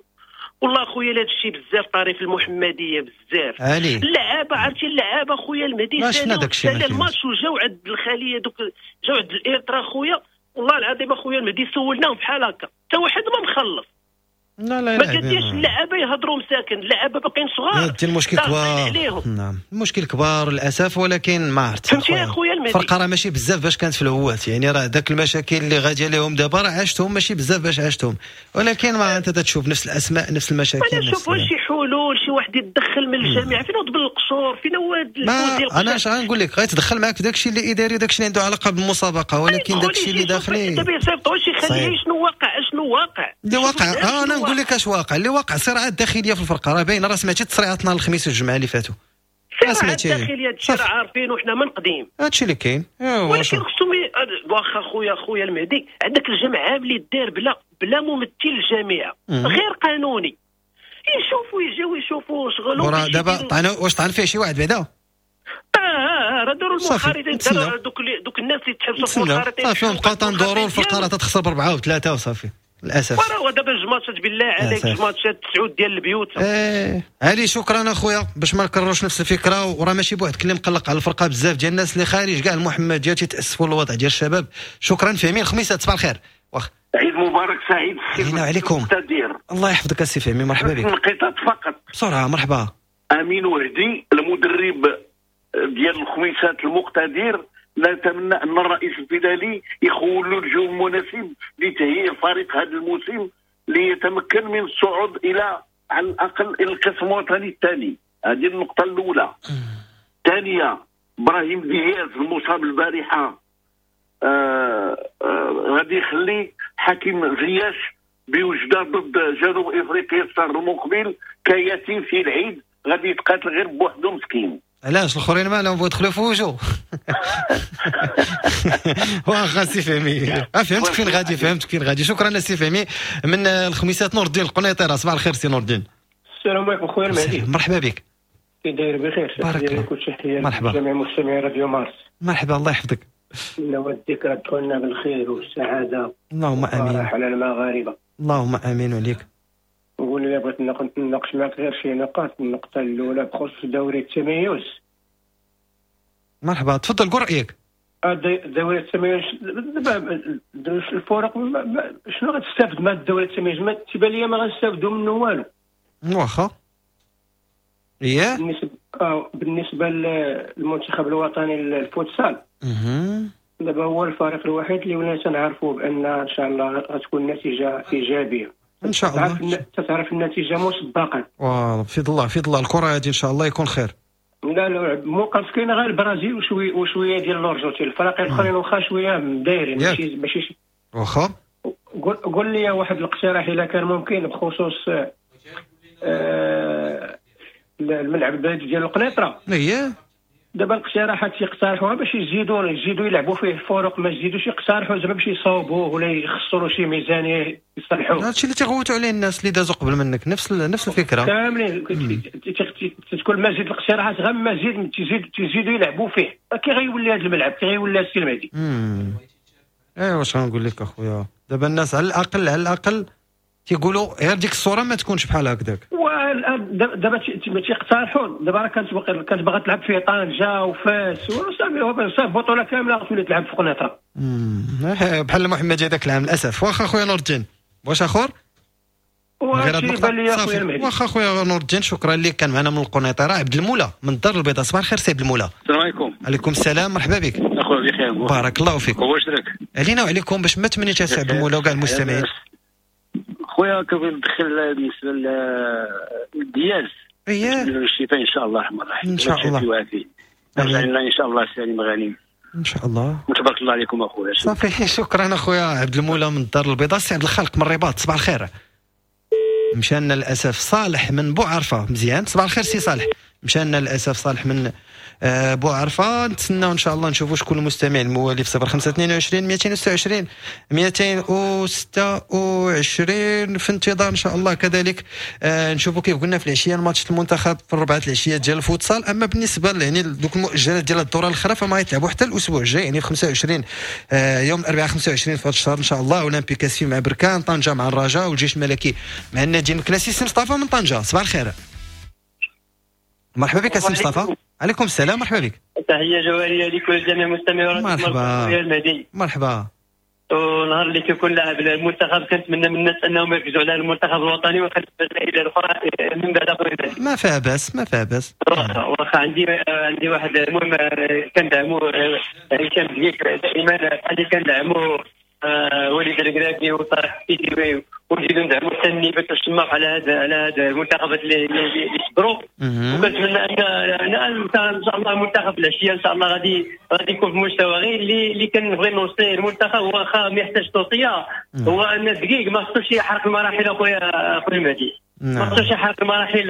والله اخويا هذا الشيء بزاف طريف المحمدية بزاف. اللعابه عرفتي اللعابه اخويا المهدي سالا الماتش وجاو عند الخلية دوك، جاو عند الارترا اخويا. والله العظيم اخويا المهدي سولناهم بحال هكا حتى واحد ما مخلص. لا لا ما كديرش اللعابه يهضروا مساكن، اللعابه باقيين صغار. المشكل كبار، نعم المشكل كبار للاسف، ولكن ما عرفت فهمتي اخويا المهدي. الفرقة راه ماشي بزاف باش كانت في الهوات، يعني راه داك المشاكل اللي غادية لهم دابا راه عاشتهم ماشي بزاف باش عاشتهم، ولكن ما انت تشوف نفس الاسماء نفس المشاكل. انا نشوف شي حلول، شي واحد يتدخل من الجامعة، فين هو بالقصور، فين هو انا اش غنقول لك، غيتدخل معاك في داكشي اللي اداري، داكشي اللي عنده علاقة بالمسابقه، ولكن داكشي اللي داخلي دابا يصيفطوا شي خليه شنو واقع، شنو واقع اللي واقع. انا نقول لك اش واقع، اللي واقع صراعات داخلية في الفرقة راه باينة، راه سمعتي تصريعات نهار الخميس والجمعة اللي فاتوا، صراعات داخلية هادشي راه عارفين وحنا من قديم هادشي اللي كاين. ولكن خصهم واخا خويا المهدي عندك الجمعية اللي دار بلا ممثل الجامعة غير قانوني، يشوفوا يجيو يشوفوا شغلهم. دابا واش طعن فيه شي واحد بعدا؟ راه داروا المنخرطين، داروا دوك الناس اللي تحبسوا في المنخرطين صافي، بقاو تندوروا الفرقة راه تتخسر ب4 و3 وصافي للاسف. وراه دابا جوج ماتشات بالله عليك، جوج ماتشات 9 ديال البيوت. علي شكرا اخويا باش ما نكرروش نفس الفكرة، وراه ماشي بوحدك اللي مقلق على الفرقة، بزاف ديال الناس اللي خارج كاع المحمدية تيتاسفوا للوضع ديال الشباب. شكرا فهمي. الخميسات صباح الخير. واخ عيد مبارك سعيد. علينا وعليكم. الله يحفظك السي فهمي، مرحبا بك. نقطات فقط بسرعة. مرحبا. امين وهدي المدرب ديال الخميسات المقتدر نتمنى ان الرئيس الفيدالي يخول له الجو المناسب لتهيئ الفريق هذا الموسم ليتمكن من الصعود الى على الاقل الى القسم الوطني الثاني. هذه النقطة الاولى. الثانية، ابراهيم دياز المصاب البارحة غادي يخلي حكيم زياش بوجده ضد جنوب افريقيا الشهر المقبل كيتيم في العيد، غادي يتقاتل غير بوحدو مسكين. علاش الاخرين مالهم بغاو يدخلوا في وجهه؟ واخا سي فهمي، فهمتك فين غادي، فهمتك فين غادي. شكرا سي فهمي من الخميسات. نور الدين القنيطره، صباح الخير سي نور الدين. السلام عليكم خويا المهدي. مرحبا بك. كي داير؟ بخير؟ بارك الله. تحية مرحبا جميع مستمعي راديو مارس. مرحبا، الله يحفظك. نوديك تدخلنا بالخير والسعادة. اللهم امين. على المغاربة. اللهم امين عليك. نقول لي بغيت نناقش معك غير شي نقاط. النقطة الأولى بخصوص دوري التميز. مرحبا، تفضل قول رأيك. دوري التميز دابا الفرق شنو غتستافد من دوري التميز؟ ما تيبان لي ما غنستافدوا منه والو. واخا. إيه؟ بالنسبة للمنتخب الوطني للفوتسال، دابا هو الفريق الوحيد اللي ولينا تنعرفوا بأن إن شاء الله غتكون نتيجة إيجابية. ان شاء الله. تتعرف النتيجة مسبقا. في الله، في الله الكره هذه ان شاء الله يكون خير. لا لا موقف كاين غير البرازيل وشوية ديال الارجنتين، الفرق الاخرين واخا شوية دايرين ماشي واخا. قول لي واحد الاقتراح الا كان ممكن بخصوص الملعب البلدي ديال القنيطره. اييه دابا الاقتراحات يقترحوها باش يزيدوا يلعبوا فيه الفرق، ما يزيدوش يقترحوا زعما باش يصاوبوه ولا يخسروا شي ميزانية يصلحوه. هادشي اللي تيغوتوا عليه الناس اللي دازوا قبل منك، نفس الفكرة كاملين. تكون مزيد الاقتراحات غير مزيد تزيدوا يلعبوا فيه، كي غيولي هذا الملعب، كي غيولي السي المهدي. ايوا واش غنقول لك اخويا، دابا الناس على الاقل تيقولوا غير ديك الصورة ما تكونش بحال هكذاك. دابا تيقترحوا، دابا راه كانت باغا تلعب فيه طنجه وفاس وصافي، صافي بطوله كاملة غتولي تلعب في قنيطره. بحال محمد هذاك العام للاسف. واخا خويا نور الدين، واش اخر؟ واخا خويا نور الدين، شكرا لك. كان معنا من القنيطره عبد المولى من الدار البيضاء. صباح الخير سي عبد المولى. السلام عليكم. عليكم السلام، مرحبا بك اخويا. بخير بارك الله فيك. واش راك؟ علينا وعليكم باش ما تمنيتش سي عبد المولى وكاع المستمعين. خويا كنبغي ندخل بالنسبة للدياز. اييه الشفاء ان شاء الله الرحمن الرحيم. ان شاء الله نرجع لنا ان شاء الله سالم غانم ان شاء الله. وتبارك الله عليكم اخويا. صافي شكرا اخويا عبد المولى من الدار البيضاء. سي عبد الخالق من الرباط، صباح الخير. مشانا للاسف صالح من بوعرفه. مزيان، صباح الخير سي صالح. مشانا للاسف صالح من بوعرفه. نتسناو ان شاء الله نشوفوا شكون المستمع الموالي في 0522 226 226 في انتظار ان شاء الله. كذلك نشوفوا كيف قلنا في العشية الماتش المنتخب في الربعه العشية ديال الفوتسال. اما بالنسبة يعني دوك المؤجلات ديال الدورة الاخرى فما يتلعبوا حتى الاسبوع الجاي، يعني في 25 يوم الاربعاء 25 في هذا الشهر ان شاء الله. اولمبيك اسفي مع بركان، طنجه مع الرجاء، والجيش الملكي مع النادي المكناسي. سي مصطفى من طنجه، صباح الخير. مرحبا بك سي مصطفى. عليكم السلام، مرحبا بك. تحية جوهرية لك ولجميع المستمعين. مرحبا مرحبا. ونهار اللي كيكون لاعب المنتخب كنتمنى من الناس انهم يركزوا على المنتخب الوطني ويخلوا الى الاخرى من بعد. ما فيها باس، ما فيها باس. واخا عندي واحد المهم كندعمو هشام ديك دائما، اللي كندعمو وليد الكراكي وطارق السيدي، ونزيدو ندعمو حتى النيبات والشماخ على هذا المنتخبات اللي صبروا. وكنتمنى ان ان شاء الله المنتخب العشية ان شاء الله غادي يكون في مستوى غير اللي كنبغي نوصي المنتخب، واخا ما يحتاج توصية، هو ان الدقيق ما خصوش يحرق المراحل اخويا المهدي. ما خصوش يحرق المراحل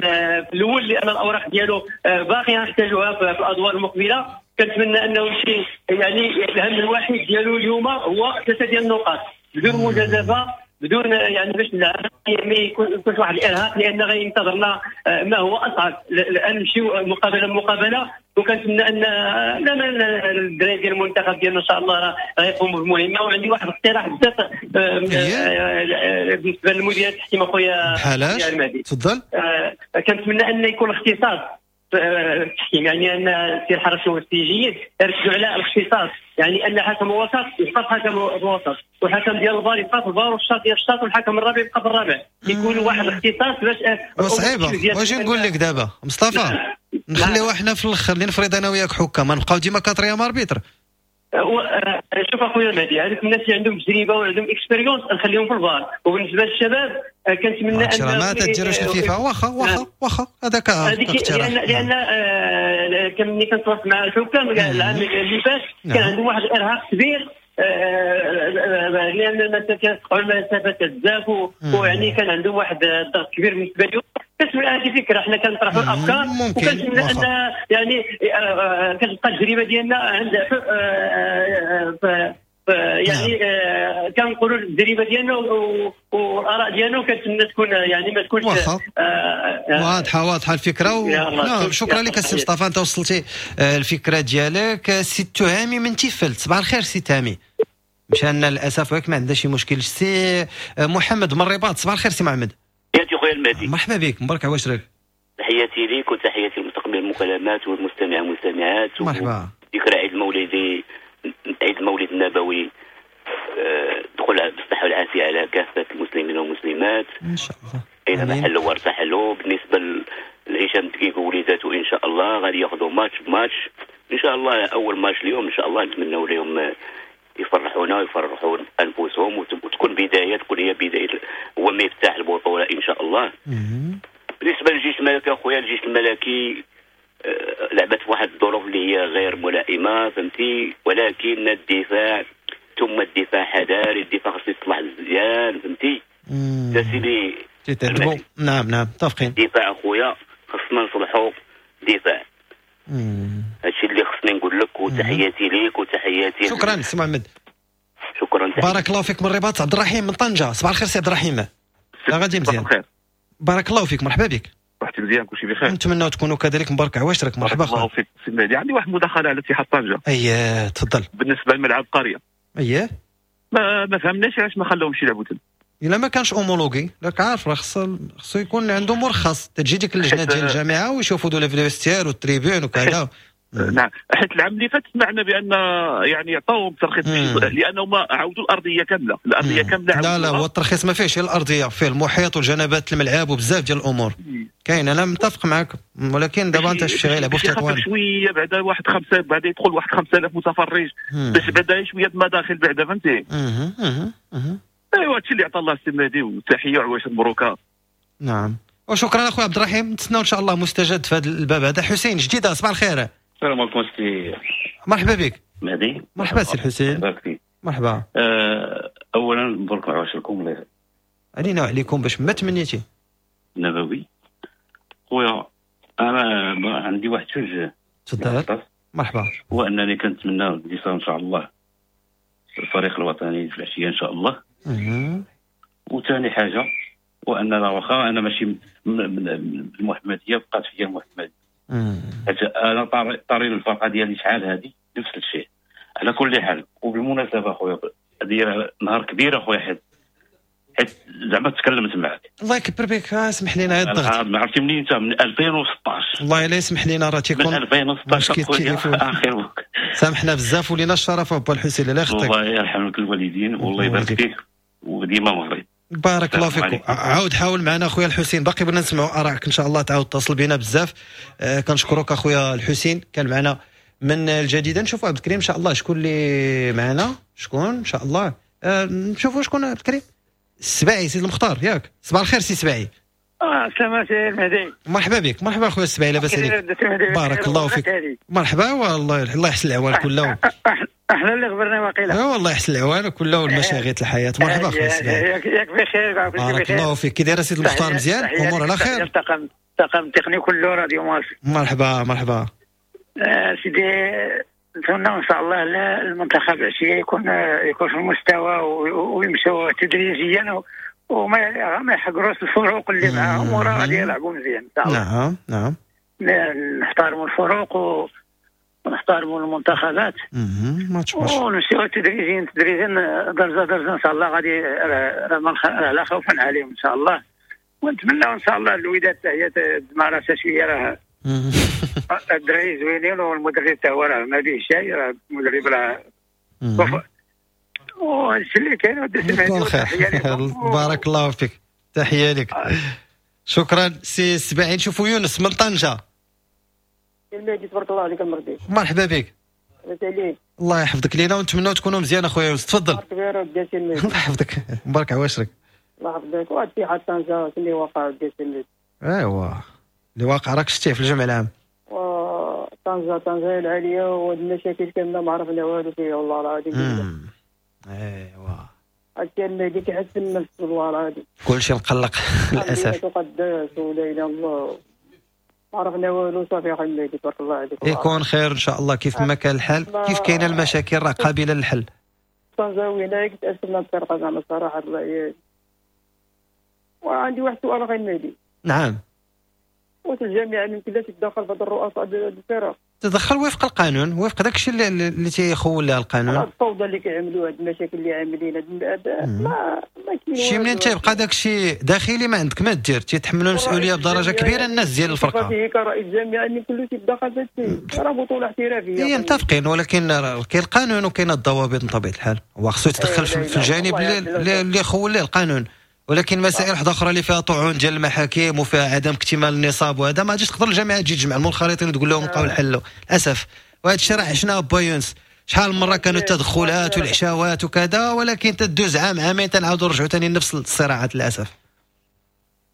في الاول، لان الاوراق ديالو باقي نحتاجوها في الادوار المقبلة. كنتمنى انه شي يعني الهم الوحيد ديالو اليوم هو 3 ديال النقاط بدون مجازفة، بدون يعني باش ما يكونش واحد الارهاق، لان غينتظرنا ما هو اصعب. الان نمشيو مقابله مقابله، وكنتمنى ان لا الدراري ديال المنتخب ديالنا ان شاء الله غيقوموا بالمهمه. وعندي واحد الاقتراح بزاف بالنسبة للمدير التحكيم اخويا المهدي. تفضل. كنتمنى ان يكون الاختصاص التحكيم، يعني ان السي الحرس والسي جيد يركزوا على الاختصاص، يعني ان حكم الوسط يبقى حكم الوسط، والحكم ديال الفار يبقى في الفار، والشاط ديال الشاط، والحكم الرابع يبقى في الرابع. يكون واحد الاختصاص باش صعيبة. واش نقول لك دابا مصطفى، نخليوها حنا في الاخر اللي نفرض انا وياك حكام، نبقاو ديما quatrième arbitre. شوف اخويا مهدي، هذوك الناس اللي عندهم تجربه وعندهم expérience نخليهم في الفار، وبالنسبة للشباب كنتمنى ان ما تديروش الفيفا. واخا واخا واخا هذاك لان ملي كنتواصل مع الحكام العام اللي فات كان عندهم واحد الارهاق كبير، لان كتقطعوا المسافات بزاف، ويعني كان عندهم واحد الضغط كبير بالنسبة لهم. كتبقى هذه فكرة، حنا كنطرحوا الافكار وكنتمنى ان يعني كتبقى التجربة ديالنا عند يعني كنقولوا التجربة ديالنا والاراء ديالنا، وكنتمنى تكون يعني ما تكونش واضحة. واضحة الفكرة نعم. شكرا لك السي مصطفى، انت وصلتي الفكرة ديالك. سي التهامي من تيفلت، صباح الخير سي التهامي. مشى للاسف ولكن ما عندنا شي مشكل. سي محمد من الرباط، صباح الخير سي محمد. تحياتي خويا المهدي، مرحبا بك، مبارك عواشرك. تحياتي ليك وتحياتي لمستقبل المكالمات والمستمع والمستمعات. مرحبا. ذكرى عيد المولد، عيد المولد النبوي، دخل بالصحة والعافية على كافة المسلمين والمسلمات ان شاء الله، اينما حلوا وارتحلوا. بالنسبة لهشام الدكيك ووليداته ان شاء الله غادي ياخذوا ماتش بماتش ان شاء الله. اول ماتش اليوم ان شاء الله نتمنوا لهم يفرحونا ويفرحوا انفسهم، وتكون بداية، تكون هي بداية هو مفتاح البطولة ان شاء الله. بالنسبة للجيش الملكي اخويا، الجيش الملكي لعبت في واحد الظروف اللي هي غير ملائمه، فهمتي، ولكن الدفاع ثم الدفاع حذاري، الدفاع خصو يصلح مزيان، فهمتي سيدي. نعم نعم متفقين. الدفاع اخويا خصنا نصلحوا دفاع. هادشي اللي خصني نقول لك، وتحياتي ليك وتحياتي. شكرا سي محمد. شكرا، بارك الله فيك. من الرباط عبد الرحيم من طنجه، صباح الخير سي عبد الرحيم. لا غادي مزيان، بارك الله فيك، مرحبا بك. رحتي مزيان، كلشي بخير، نتمنى تكونوا كذلك. مبارك عواشرك، مرحبا. الله فيك سي مهدي. عندي واحد المداخلة على اتحاد طنجه. اييه تفضل. بالنسبة لملعب قرية، اييه ما فهمناش علاش ما خلاهمش يلعبوا تما. الا ما كانش homologué، راك عارف راه خصو يكون عنده مرخص، تجي ديك اللجنة ديال الجامعة ويشوفوا دو les vestiaires وال tribunes وكذا. نعم، حيت العام اللي فات سمعنا بان يعني عطاوهم ترخيص لانهم عاودوا الارضية كاملة، الارضية كاملة. لا لا، هو الترخيص ما فيهش الارضية، فيه المحيط والجنبات الملعب وبزاف ديال الامور كاين. انا متفق معك، ولكن دابا انت شفتي غيلعبوا في تطوان شوية بعدا واحد خمسة، بعدا يدخل واحد 5000 متفرج باش بعدا شوية المداخل بعدا، فهمتي؟ ايوا هادشي اللي عطى الله السي مهدي، وتحية وعواشر مبروكه. نعم، وشكرا اخويا عبد الرحيم، نتسناو ان شاء الله مستجد في هذا الباب هذا. حسين جديدة، صباح الخير. السلام عليكم سي مرحبا بك مهدي. مرحبا سي الحسين. مرحبا. اولا مبروك عواشركم علينا وعليكم باش ما تمنيتي نبوي. خويا انا عندي واحد جوج. تفضل. مرحبا. هو انني كنتمنى الانتصار ان شاء الله الفريق الوطني في العشية ان شاء الله. وثاني حاجة واننا واخا انا ماشي من المحمدية، بقات فيا المحمدية. انا طاري الفرقة ديالي شحال هذه نفس الشيء. على كل حال وبالمناسبة خويا، هذه نهار كبير اخويا، حيت زعما تكلمت معك. الله يكبر بك، اسمح لنا هذا الضغط. ما عرفتي منين انت؟ من 2016. الله لا يسمح لنا، راه تيكون من 2016 خويا اخر. سامحنا بزاف ولينا الشرف ابو الحسين، الله يخطيك. الله يرحم لك الوالدين والله يبارك فيك وديما مغرب. بارك الله فيكم. عاود حاول معنا اخويا الحسين، باقي بغينا نسمعوا ارائك ان شاء الله، تعاود اتصل بنا بزاف. كنشكرك اخويا الحسين، كان معنا من الجديدة. نشوفوا عبد الكريم ان شاء الله شكون اللي معنا، شكون ان شاء الله. نشوفوا شكون عبد الكريم السباعي، سيد المختار، ياك؟ صباح الخير سي سباعي. سلام سي المهدي. مرحبا بك. مرحبا اخويا السباعي، لاباس عليك؟ بارك الله فيك. مرحبا، والله الله يحسن العوان كله. احنا اللي غبرنا واقيلا. والله يحسن العوان كله والمشاغل الحياة. مرحبا اخويا السباعي. ياك بخير؟ بارك الله فيك. كي داير سيد المختار؟ مزيان، امور على خير؟ الطاقم التقني كله راديو مارس. مرحبا مرحبا سيدي. نتمنى ان شاء الله المنتخب العشية يكون في المستوى ويمشوا تدريجيا وما يحقروش الفروق اللي معاهم، وراه غادي يلعبوا مزيان ان شاء الله. نعم نعم، نحترموا الفروق ونحترموا المنتخبات ونمشيو تدريجيا تدريجيا درجه درجه ان شاء الله. غادي لا خوف عليهم ان شاء الله، ونتمنى ان شاء الله الوداد حتى هي تجمع راسها شوية، راه الدراري زوينين والمدرب حتى هو راه ما به شيء، راه المدرب راه وهادشي اللي كاين. بارك الله فيك، تحية لك. شكرا سي السباعي. نشوفوا يونس من طنجه. المهدي تبارك الله عليك المرضي. مرحبا بك. لاباس عليك؟ الله يحفظك لينا ونتمناو تكونوا مزيان اخويا يونس، تفضل. كبير ودي سي المهدي. الله يحفظك، مبارك عواشرك. الله يحفظك. وهاد اتحاد طنجه اللي وقع ودي سي المهدي. ايوا اللي واقع راك شتيه في الجمع العام. طنجه طنجه العالية وهاد المشاكل كاملة ما عرفنا والو فيها والله العظيم. ايوا هادشي المهدي كيحس بالنفس والله العظيم. كلشي مقلق للاسف. تقدس ولا اله الا الله، ما عرفنا والو. صافي اخي المهدي تبارك الله عليك. يكون خير ان شاء الله، كيف ما كان الحال كيف كاينه المشاكل راه قابله للحل. طنجاوي هنايا كتأسفنا الفرقة زعما الصراحة الله. وعندي واحد السؤال اخي المهدي. نعم. واش الجامعة يمكن لها تتدخل في هاد الرؤساء ديال الفرق؟ تدخل وفق القانون، وفق داك الشيء اللي تيخول لها القانون. الفوضى اللي كيعملوا، هاد المشاكل اللي عاملين، ما كاين شي منين تيبقى داك الشيء داخلي ما عندك ما دير، تيتحملوا المسؤولية بدرجة كبيرة الناس ديال الفرقة. كرئيس الجامعة يمكن له تيتدخل في هادشي، راه بطوله احترافية. هي متفقين، ولكن كاين القانون وكاين الضوابط من طبيعة الحال، هو خصو يتدخل في الجانب اللي خول ليه القانون، ولكن مسائل واحدة اخرى اللي فيها طعون ديال المحاكم وفيها عدم اكتمال النصاب وهذا ما غاديش تقدر الجامعة تجي تجمع المنخرطين وتقول لهم لقاو الحل للاسف. وهذا الشيء راه عشناه با يونس، شحال من مرة كانوا التدخلات والعشاوات وكذا، ولكن تدوز عام عامين تنعاودوا نرجعوا ثاني لنفس الصراعات للاسف.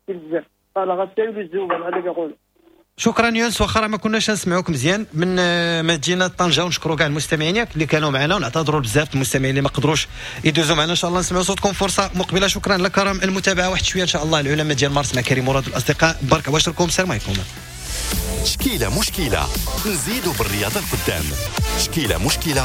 بزاف هذا كيقول. شكرا يونس، واخا ما كناش نسمعوك مزيان من مدينة طنجه، ونشكروا كاع المستمعين اللي كانوا معنا، ونعتذروا بزاف المستمعين اللي ما قدروش يدوزوا معنا. ان شاء الله نسمعوا صوتكم فرصة مقبله. شكرا لكرم المتابعة. واحد شوية ان شاء الله العلماء ديال مارس مع كريم مراد والاصدقاء. بارك واشركم، السلام عليكم. شكيله مشكلة نزيدوا بالرياضة القدام. شكيله مشكلة.